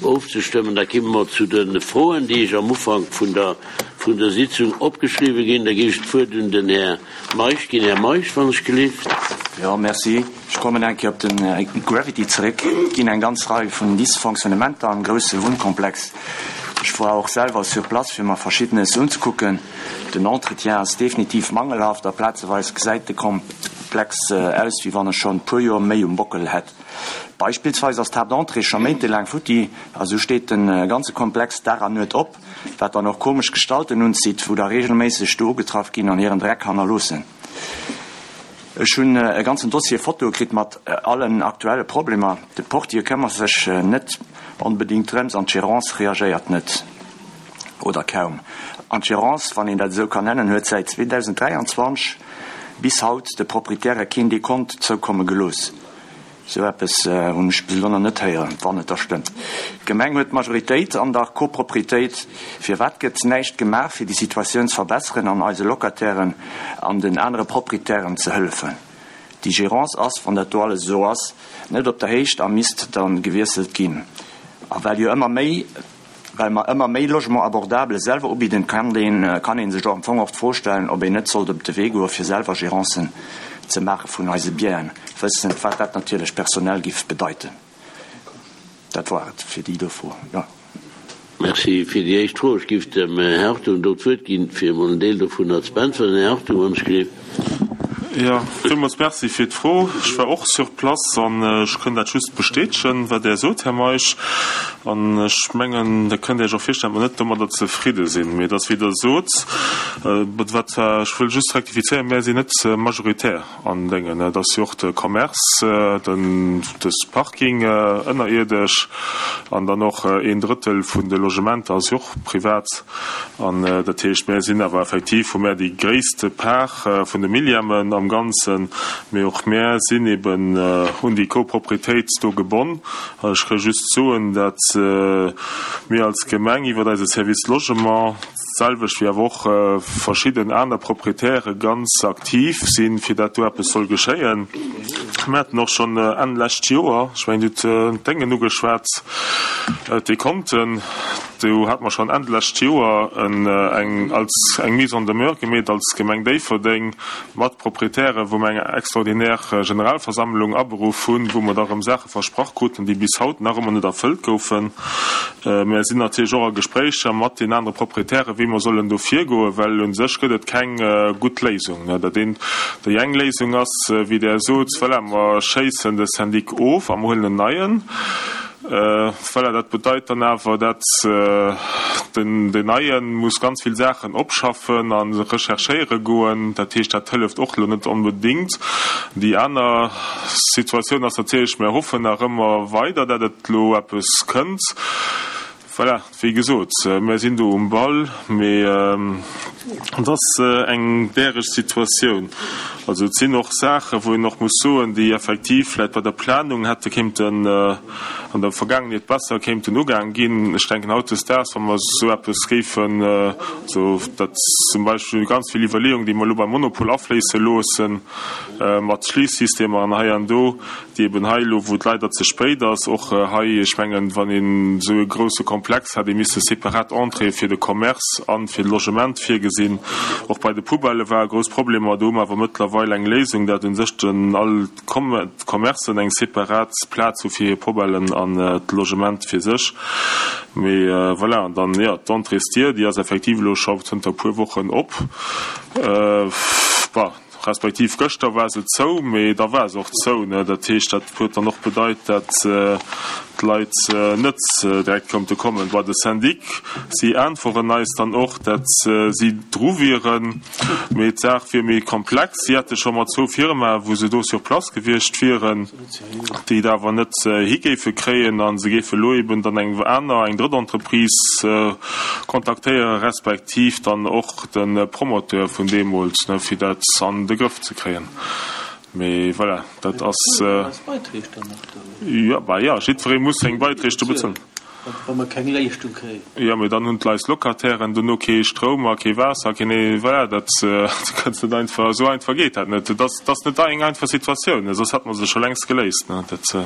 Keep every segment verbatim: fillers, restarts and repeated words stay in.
ofzestëmmen. Da komme mer zu de Froen, déi ech am Ufank vun der, vun der Sitzung opgeschriwwen ginn. Da géif ech d'Wuert un den Här Meisch ginn. Här Meisch, wann ech gelift. Jo, merci. Ech kommen eng Kéier op den Gravity zeréck. Et ginn eng ganz Rei vun Dysfonctionnementer am grousse Wunnkomplex. Ech war och selwer sur place, fir mer Verschiddenes unzekucken. Den Entretien ass definitiv mangelhaft a plazeweis gesäit de Komplex aus, wéi wann e schonn e puer Joer méi um Bockel hätt. Beispillsweis ass d'Haaptentrée scho méintelaang futti a sou steet de ganze Komplex Dag an Nuet op, wat dann och komesch Gestalten unzitt, wou da reegelméisseg do ugetraff ginn an hiren Dreck hannerloossen. Ech hunn e ganzen Dossier Fotoe kritt mat allen aktuelle Problemer. De Portier këmmert sech net onbedéngt drëms an d'Gérance reagéiert net oder kaum. An d'Gérance, wann een dat esou kann nennen, huet säit zweedausenddräianzwanzeg bis haut de Proprietäre keen Dekont zoukomme gelooss. Sou eppes hunn ech bis elo nach net héieren, wann et da stëmmt. D'Gemeng huet d'Majoritéit an der Copropriétéit. Firwat gëtt näischt gemaach, fir déi Situatioun ze verbesseren an eise Locatairen an den anere Proprietären ze hëllefen? Déi Gérance ass, wann dat do alles esou ass, net op der Héicht a misst da gewiesselt ginn. A well jo ëmmer méi Well mer ëmmer méi Logement abordable selwer ubidden, kann ee sech och am Fong och d'Fro stellen, ob een net sollt op de Wee goe fir selwer Gérancen ze maache vun eise Bienen, wëssend wat dat natierlech personell giff bedeiten. Dat war et fir déi do Fro. Jo. Merci fir déi éischt Fro. Ech giff dem Här Hartung do d'Wuert ginn, fir emol en Deel dovunner ze beäntweren. Här Hartung, wann ech gelift. Jo, villmools Merci fir d'Fro. Ech war och sur place an ech kënn dat just bestätegen, wat Der sot, Här Meisch. An ech mengen, Der kënnt Iech och virstellen, datt mer net domadder zefridde sinn. Mee et ass, wéi Der sot, wat war, ech wëll just rektifizéieren, Mär sinn net majoritär an Déngen. Et ass jo och de Commerce, den, de Parking ënnerierdesch an dann och een Drëttel vun de Logementer ass jo och privat. An dat heescht, mär sinn awer effektiv, hu mär déi gréisste Part vun de Millièmen am Ganzen, mee och mär sinn eben un déi Copropriétéit do gebonn. An ech ka just soen, datt mir als Gemeng iwwer eise Service Logement, d'selwecht wéi awer och verschidden aner Proprietäre ganz aktiv sinn, fir dat do eppes soll geschéien. Mir haten och schonn Enn lescht Joer, ech mengen, Dir hutt d'Déngen ugeschwat, d'Dekonten, do hate mer schonn Enn lescht Joer eng als eng Mise en demeure gemeet als Gemeng Déifferdeng mat Proprietären, wou mer eng extraordinaire Generalversammlung aberuff hunn, wou mer da erëm Saache versprach kruten, déi bis haut nach ëmmer net erfëllt goufen. Mer sinn natierlech och a Gespréicher mat den anere Proprietären, wéi mer sollen do virgoen, well u sech gëtt et keng gutt Léisung. Dat eent, déi eng Léisung ass, wéi Der sot, voilà, mer schéissen de Syndic of a mer huelen en neien. Voilà, dat bedeit dann awer, dat den Neie muss ganz vill Saachen opschaffen a recherchéiere goen. Dat heescht, dat hëlleft och elo net onbedéngt. Déi aner Situatioun ass natierlech, mir hoffen nach ëmmer weider, dat et elo eppes kënnt. Voilà, wéi gesot, mir sinn do um Ball, mee et ass eng däreg Situatioun. Also et sinn och Saachen, wou een och muss soen, déi effektiv vläicht bei der Planung hätte kéinten an der Vergaangenheet besser kéinten ugaang ginn. Ech denken hautdesdaags, wa mer esou eppes géifen, also dat zum Beispill ganz vill Iwwerleeungen, déi mer elo beim Monopol afléisse loossen, mat Schliissystemer an hei an do, déi eben hei elo, wou et leider ze spéit ass, och hei, ech mengen, wann een esou e grouse Komplex hätt, ee misste separat Entréeë fir de Commerce a fir de Logement virgesinn. Och bei de Poubellë ware grouss Problemer. Do hu mer awer mëttlerweil eng Léisung, dat u sech den all d'Commercen eng separat Plaz hu fir hir Poubellen an d'Logement fir sech. Mee voilà, an dann, jo, d'Entréesdier, déi ass effektiv elo scho zënter e puer Wochen op. Bon. Respektiv gëschter war se zou, mee da war se och zou. Dat heescht, dat huet dann och bedeit, dat d'Leit net direkt konnte kommen. Bei de Syndic, si äntweren eis dann och, dat si dru wieren, mee d'Saach wier méi komplex. Si hätte scho mat zwou Firmae wou se do sur place gewiescht wieren, déi et awer net hi géife kréien a se géife elo eben dann eng aner, eng drëtt Entreprise kontaktéieren, respektiv dann och de Promoteur vun deemools, fir dat an de Grëff ze kréien. Mee voilà, dat ass. Jo, bah jo, jiddweree muss seng Beiträg do bezuelen. Wa mer keng Léischtung kréien. Jo, mee dann hunn d'Leit, Locatairen, dono kee Stroum a kee Waasser, keen, voilà, dat kënns net einfach, esou einfach geet dat net. Et ass, et ass net eng einfach Situatioun, soss hätte mer se scho längst geléist, ne. Dat,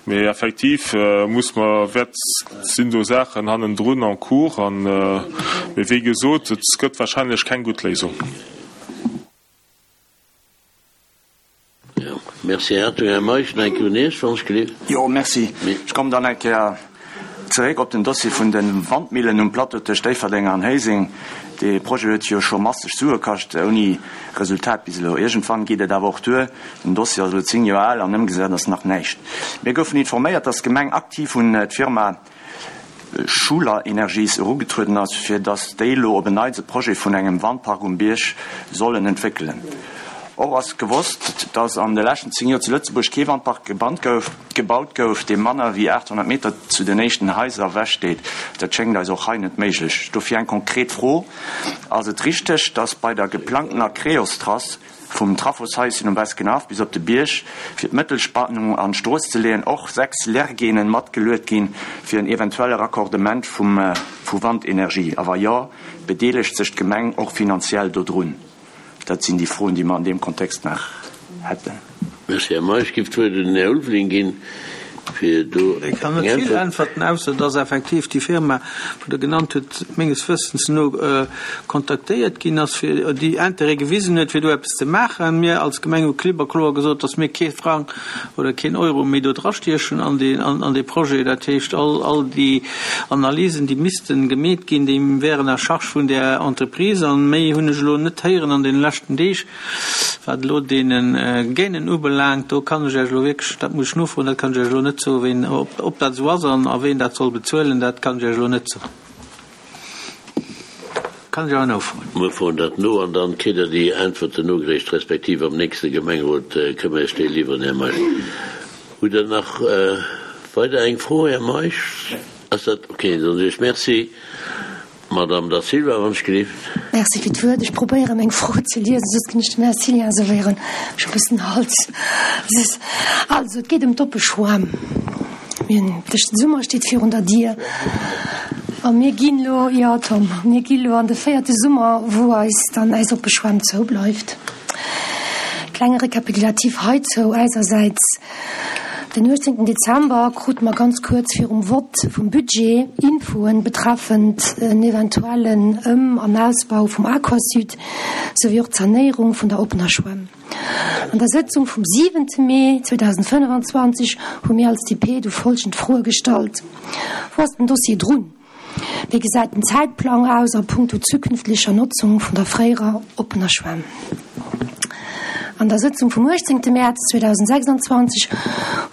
Mee effektiv muss mer, wäert, sinn do Saachen hannendrun en cours an, mee wéi gesot, et gëtt wahrscheinlech keng gutt Léisung. Jo, merci, Här Hartung. Här Meisch, nach eng Kéier un Iech, wann ech gelift. Jo, merci. Ech kommen dann eng Kéier zeréck op den Dossier vun de Wandmillen um Plateau tëscht Déifferdeng an Héiseng. Dee Projet huet jo scho masseg Sue kascht, ouni Resultat bis elo. Iergendwann geet et awer och duer. Den Dossier ass elo zéng Joer al an ëmgesat ass nach näischt. Mir goufen informéiert, dass d'Gemeng aktiv un d'Firma Schuler Energies erugetrueden ass, fir dass déi elo op en Neits e Projet vun engem Wandpark um Bierg sollen entwéckelen. Och ass gewosst, dass an de leschten zéng Joer zu Lëtzebuerg kee Wandpark gebannt gouf, gebaut gouf, dee manner wéi achthonnert Meter zu den éischten Haiser ewech steet. Dat schéngt eis och hei net méiglech. Dofir eng konkret Fro, Ass et richteg, dass bei der geplangtener Creos-Trass vum Trafoshaischen um Beskenhaff bis op de Bierg, fir d'Mëttelspannung an d'Strooss ze leeën, och sechs Lergenen matgeluet ginn fir en eventuelle Raccordement vum vu Wandenergie? A wa jo, bedeelegt sech d'Gemeng och finanziell dodrun? Dat sinn déi Froen, déi mer an deem Kontext nach hätten. Merci, Här Meisch. Ech géif d'Wuert un den Här Ulveling ginn, fir do Ech kann eng net vill Äntwert. äntwerten, ausser dass effektiv déi Firma, wou Der genannt hutt, menges Wëssens no kontaktéiert ginn ass, fir déi Intérêt gewisen huet, fir do eppes ze maachen. Mir als Gemeng hu klipp a kloer gesot, dass mir kee Frang oder keen Euro méi do drastiechen an dee, an dee Projet. Dat heescht, all, all déi Analysen, déi missten gemeet ginn, déi wären à charge vun där Entreprise. An méi hunn ech elo net héieren an deene leschten Deeg, wat elo deene Gainen ubelaangt. Do kann ech Iech elo wierklech, dat muss ech nofroen, dat kann ech Iech elo net soen, ween, ob, ob dat esou ass an a ween dat soll bezuelen, dat kann ech Iech elo net soen. Kann ech awer nofroen. Mir froen dat no an dann kritt Der déi Äntwerten nogereecht, respektiv am nächste Gemengerot kënne mer Iech déi liwweren, Här Meisch. Hutt Der nach weider eng Fro, Här Meisch? Ass dat okay? Dann soe ech Merci. Madamm Da Silva, wann ech gelift. Merci fir d'Wuert. Ech probéieren, meng Fro ze liesen, soss ginn ech dem Här Cillien servéieren. Ech hu e bëssen Hals. Also, et geet ëm d'oppe Schwämm. Mir hunn, de Summer steet virun der Dier a mir ginn elo, jo Tom, mir gi lo an de véierte Summer, wou eis dann eis oppe Schwämm zoubleift. Klenge Rekapitulativ heizou eisersäits, Den uechtzéngten Dezember krute mer ganz kuerz virum Vott vum Budget Infoen betreffend en eventuellen Ëm an Ausbau vum Aquasud souwéi och d'Sanéierung vun der oppener Schwämm. An der Sëtzung vum siwente Mee zweedausendfënnefanzwanzeg hu mir als D P du folgend Froe gestallt, Wou ass den Dossier drun? Wéi gesäit den Zäitplang aus a punkto zukünftlecher Notzung vun der fréierer oppener Schwämm? An der Sëtzung vum uechtzéngte Mäerz zweedausendsechsanzwanzeg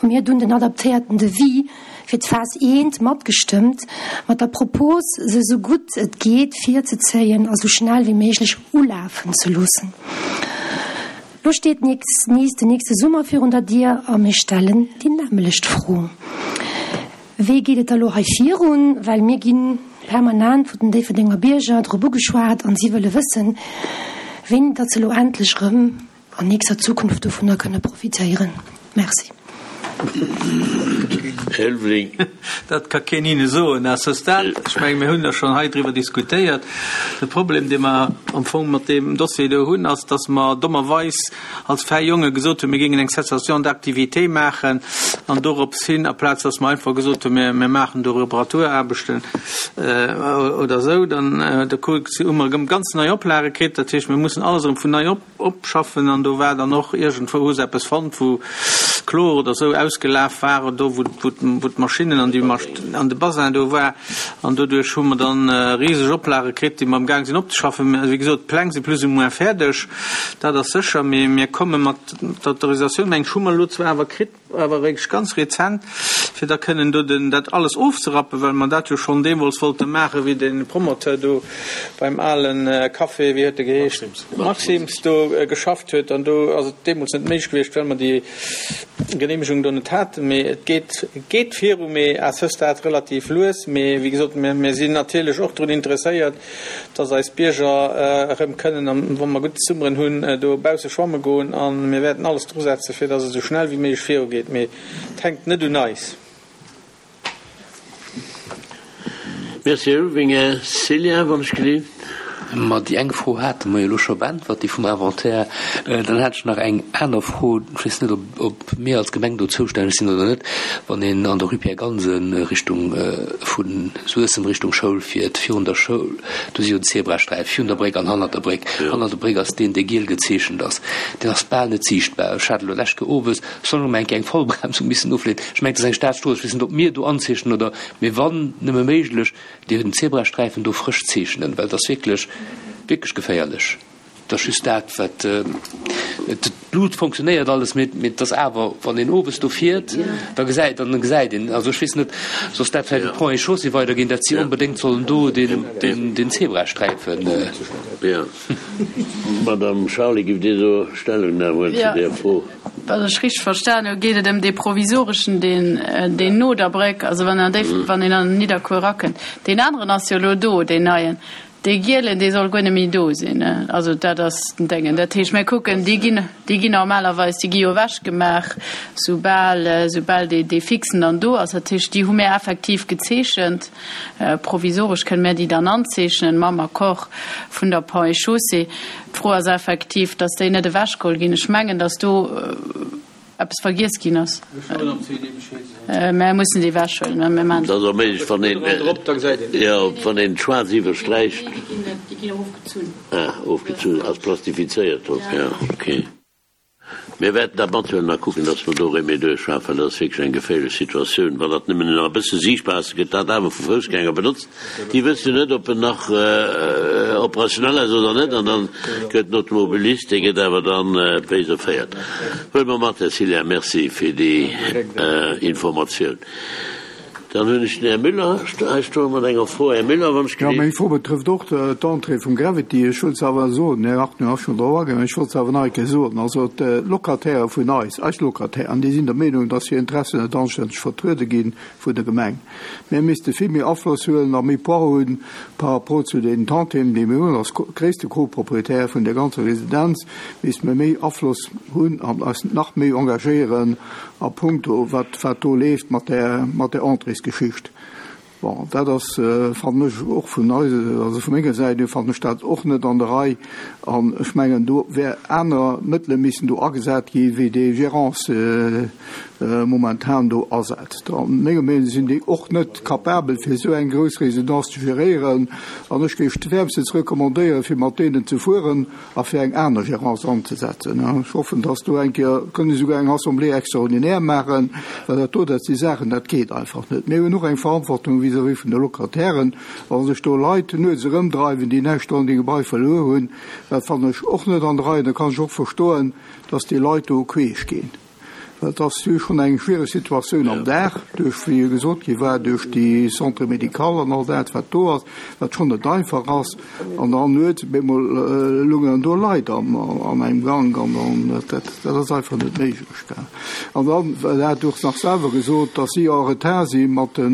hu mir dunn den adaptéierten Devis fir d'Phas eent matgestëmmt, mat der Propos, se esou gutt et geet virzezéien a sou schnell wéi méiglech ulafen ze loossen. Lo steet nees den nächste Summer virun der Dier a mir stellen déi nämmelecht Fro, Wéi geet et da lo hei virun? Well mir gi permanent vun den Déifferdenger Bierger drop ugeschwat an si wëlle wëssen, wéini datt se lo endlech erëm an nächster Zukunft dovunner kënne profitéieren. Merci. Här Ulveling. Dat ka keen hinne soen à ce stade. Ech menge mir hunn der schonn hei driwwer diskutéiert. De Problem, dee mer am Fong mat deem Dossier do hunn, ass, datt mer dommerweis als fäi Jonge gesot hunn, mir géingen eng Cessation d'activité maachen an dorops hin, aplaz datt mer einfach gesot hunn, mir, mir maachen do Reparaturaarbechten oder esou, dann da hu mer erëm ganz nei Oplage kritt. Dat heescht, mir mussen alles erëm vun nei op, opschaffen an do war dann och iergendwou hu se eppes fonnt, wou Chlor oder esou ausgelaf war, do wou, wou, wou d'Maschinnen an déi, an de Basin do war an doduerch hu mer dann riseg Oplage kritt, déi mer am Gaang sinn opzeschaffen. Mä wéi gesot, d'Pläng si plus ou moins fäerdeg, dat ass sécher, mee mir komme mat der Autorisatioun, meng ech, hu mer elo zwar awer kritt, awer eréischt ganz rezent, fir da kënnen do den, dat alles ofzerappen, well mer dat jo schonn deemools wollte maachen, wéi de Promoteur do beim ale Café, wéi huet e geheescht, Maxim's do geschafft huet. An do ass et deemools net méiglech gewiescht, well mer déi Genehmegung do net haten. Mee et geet, et geet viru, mee à ce stade relativ lues. Mee wéi gesot, mir, mir sinn natierlech och drun interesséiert, dass eis Bierger erëm kënnen, wa mer gutt Summeren hunn, do bausse schwamme goen. A mir wäerten alles drusetzen, fir dass et esou schnell wéi méiglech virugeet. Mee et hänkt net un eis. Merci, Här Ulveling. Här Cillien, wann ech gelift. Ma déi eng Fro hate mer jo elo scho beäntwert, déi vum Inventaire. Dann hat ech nach eng aner Fro, ech weess net, ob, ob mir als Gemeng do zoustänneg sinn oder net, Wann een an der Rue Pierre Gansen Richtung vu Suessem Richtung Schoul fiert, virun der Schoul, do si jo Zebrasträife virun der Bréck an hannert der Bréck. Hannert der Bréck ass deen, dee giel gezeechent ass. Deen ass bal net siichtbar. Ech hat elo lescht Kéier owes soll eng Kéier eng Vollbremsung missen ofleeën. Ech mengen, et ass eng Staatsstrooss. Ech weess net, ob mir do anzeechnen oder, mee wann nëmme méiglech, den Zebrasträifen do frësch zeechnen, well et ass wierklech, wierklech geféierlech. Et ass just dat, wat, d'Lut fonctionnéiert alles, mee, mee et ass awer, wann een owes do fiert, da gesäit, dann gesäit een, also ech weess net, soss dat vläicht u Ponts et Chaussées weiderginn, dat si onbedéngt sollen do den, den, den Zebrasträifen. Jo. Madame Charly, giff Dir do Stellungnam huelen zu där Fro? Wann ech richteg verstan hu, geet et ëm dee provisoreschen, deen, deen no der Bréck, also wann an Déif, wann een an Nidderkuer erakënnt. Deen aneren ass jo elo do, deen neien. Dee gielen, dee soll guer net méi do sinn. Also dat ass den Déngen. Dat heescht, mir kucken, déi ginn, déi ginn normalerweis, déi gi jo ewechgemaach, soubal, soubal dee, dee fixen dann do ass. Dat heescht, déi hu mir effektiv gezeechent. Provisoresch kënne mir déi dann anzeechnen, mam Accord vun der Ponts et Chaussées. D'Fro ass effektiv, dass déi net ewechgeholl ginn. Ech mengen, dass do eppes vergiess ginn ass. Mer mussen déi ewechhuelen. Mä mir maachen. Dat ass och méiglech, wann een, jo, wann een schwaarz iwwersträicht. Déi ginn erofgezunn. Ah, ofgezunn, ass plastifizéiert drop, jo, okay. Mir wäerten dat mathuelen a kucken, dass mer do Remedie duerchschafen, well dat ass wierklech eng geféierlech Situatioun. Wann dat nëmmen nach e bësse siichtbar ass, gëtt dat awer vu Foussgänger benotzt. Déi wëssen jo net, ob en nach operationell ass oder net, an dann gëtt den Automobilist, dee gëtt awer dann béis erféiert. Huele mer mat, Här Cillien. Merci fir déi Informatioun. Dann hunn ech den Här Müller hei stoe mat enger Fro. Här Müller, wann ech Jo, meng Fro betrëfft och d'Entrée vum Gravity. Ech wollt se awer soen, den Här Hartmann ass schonn drop agaangen, ech wollt se awer nach eng Kéier soen. Also d'Locataire vun eis, eis Locatairen, déi sinn der Meenung, dass hir Interessen net anstänneg vertruede gi vun der Gemeng. Mir misste vill méi Afloss huelen a méi Poids hunn par rapport zu den Tantièmen, déi mir hunn. Als gréisste Co-Propriétaire vun der ganzer Residenz misste mir méi Afloss hunn an eis nach méi engagéieren a puncto wat wat do leeft mat där mat där Entréesgeschicht. Bon, dat ass, fannen ech, och vun eis, also vu menger Säit hier fannen ech dat och net an der Rei. An ech mengen, do wär aner Mëttele missen do agesat gi wéi déi Gérance momentan do asetzt. A menger Meenung sinn déi och net capabel fir esou eng grouss Résidence ze geréieren. An ech géif wärmstens recommandéieren, fir mat deenen ze fueren a fir eng aner Gérance anzesetzen. Ech hoffen, dass do eng Kéier, kënne souguer eng Assemblée extraordinaire maachen, well dat do, dat si Saachen, dat geet einfach net. Mir hunn och eng Verantwortung vis-à-vis vun de Locatairen. Wa sech do Leit nuets erëmdreiwen, déi näischt an deem Gebai verluer hunn, dat fannen ech och net an der Rei. Da kann ech och verstoen, dass déi Leit do queesch ginn. Well et ass jo schonn eng schwiereg Situatioun am Dag, duerch, wéi jo gesot gi war, duerch déi Centre médical an all dat, wat do ass, wat schonn net einfach ass. An dann nuets op eemol lungen do Leit an engem Gank an dann, dat, dat ass einfach net méiglech. An dann, well Der hat och nach selwer gesot, dass si en retard si mat de,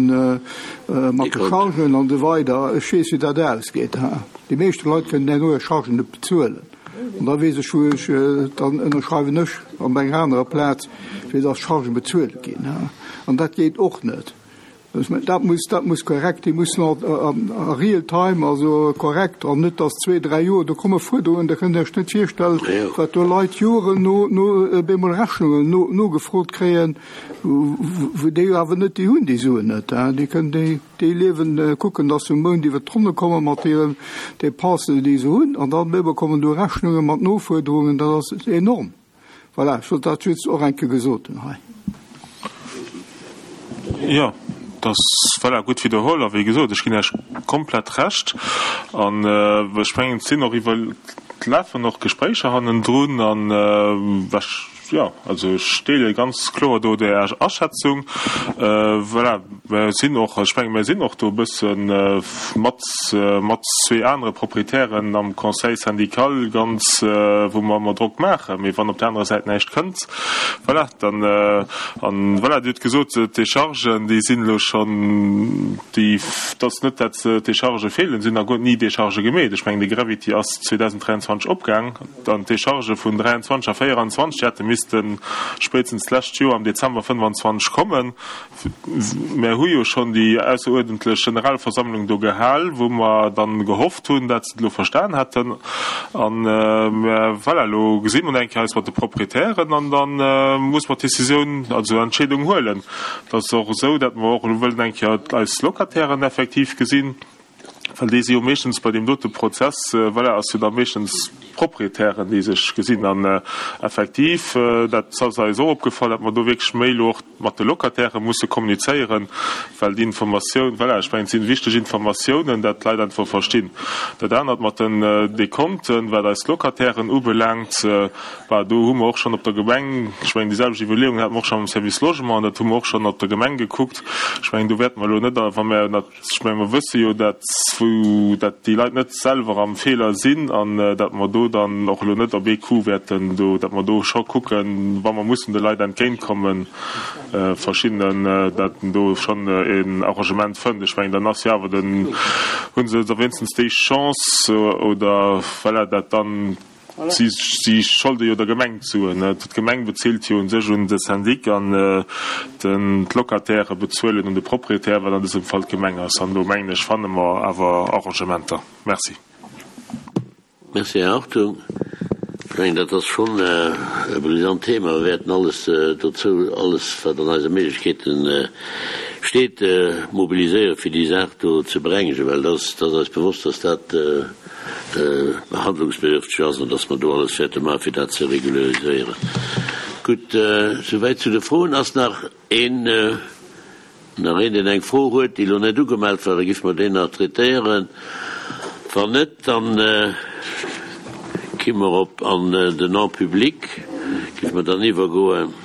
mat de Chargen an esou weider. Ech weess, wéi dat ausgeet. Déi meeschte Leit kënnen herno hir Chargen net bezuelen. An da weess ech, wou ech, dann ënnerschreiwen ech op enger anerer Plaz, fir dass d'Chargen bezuelt ginn. An dat geet och net. Ech mengen, dat muss, dat muss korrekt, déi mussen a real time, also korrekt, an net dass zwee, dräi Joer, do komme Fuerderungen, da kënnt Der Iech net virstellen, wat do Leit Joren no, no op eemol Rechnungen no, nogefrot kréien, wou déi jo awer net déi hunn, déi Suen net. Déi kënnen déi. Déi liewen, kucken, dass se um Mount iwwer d'Ronne komme mat hiren Dépensen, déi se hunn, an dann ebe kommen do Rechnunge mat Nofuerderungen, dat ass enorm. Voilà, ech wollt dat just och eng Kéier gesot hunn hei. Jo, dat ass, voilà, gutt widderholl. A wéi gesot, ech ginn Iech komplett Recht. An ech mengen, et sinn och iwwer, et lafen och Gespréicher hannendrun. An ech, jo, also ech deele ganz kloer do Är Aschätzung. Voilà, mer sinn och, ech menge mer sinn och do e bësse mat, mat zwee anere Proprietären am Conseil syndical ganz, wou mer ëmmer Drock maachen. Mee wann op där anerer Säit näischt kënnt, voilà, dann, an voilà, Dir hutt gesot, d'Déchargen, déi sinn elo schonn, déi, et ass net, dat d'Déchargë feelen, et sinn nach guer ni Déchargë gemeet. Ech mengen, de Gravity ass zweedausenddräianzwanzeg opgaang. An d'Déchargë vun dräianzwanzeg a véieranzwanzeg, déi hätte missen misste spéitstens d'lescht Joer am Dezember fënnefanzwanzeg kommen. Mär hu jo schonn déi ausseruerdentlech Generalversammlung do gehal, wou mer dann gehofft hunn, dat se et elo verstan hätten. An mä voilà, elo gesi mer eng Kéier eis mat de Proprietären an da muss mer d'Decisioun, also Entscheedung huelen. Et ass och esou, dat mer och elo wëllen eng Kéier eis Locatairen effektiv gesinn, well déi si jo meeschtens bei deem dote Prozess, voilà, ass jo da meeschtens d'Proprietären, déi sech gesinn. An effektiv, dat ass eis och opgefall, datt mer do wierklech méi elo och mat de Locatairë musse kommunizéieren, well déi Informatioun, voilà, ech mengen, et si wichteg Informatiounen, dat d'Leit einfach verstinn. Dat anert mat den Dekonten, wat eis Locatairen ubelaangt, bah, do hu mer och schonn op der Gemeng, ech mengen, déi selwecht Iwwerleeungen hate mer och schonn am Service Logement an dat hu mer och schonn op der Gemeng gekuckt. Ech mengen, do wäerte mer elo net, wa mer, ech mengen, mer wësse jo, dat wou dat déi Leit net selwer am Feeler sinn an dat mer do dann och elo net op ee Coup wäerten do, dat mer do scho kucken, wa mer mussen de Leit entgéintkommen, verschiddenen, dat en do schonn een Arrangement fënnt. Ech mengen, dann ass jo awer den, hu se da wéinstens déi Chance oder voilà, dat dann, si, si scholde jo der Gemeng d'Suen. D'Gemeng bezilt jo u sech un de Syndic an den, d'Locatairë bezuelen un de Proprietär, wat an dësem Fall d'Gemeng ass. An do mengen ech, fanne mer awer Arrangementer. Merci. Merci, Här Hartung. Ech mengen, dat ass schonn e brisant Thema. Mir wäerten alles dozou, alles wat an eise Méiglechkeete steet, mobiliséieren, fir déi Saach do ze berengegen, well et ass eis bewosst, dass dat handlungsbedürfteg ass an dass mer do alles wäerte maachen, fir dat ze regulariséieren. Gutt, souwäit zu de Froen. Ass nach een, nach een, deen eng Fro huet, déi elo net ugemellt war? Da géife mer déi nach traitéieren. Wann net, dann gi mer op an den En public, géife mer dann iwwergoen.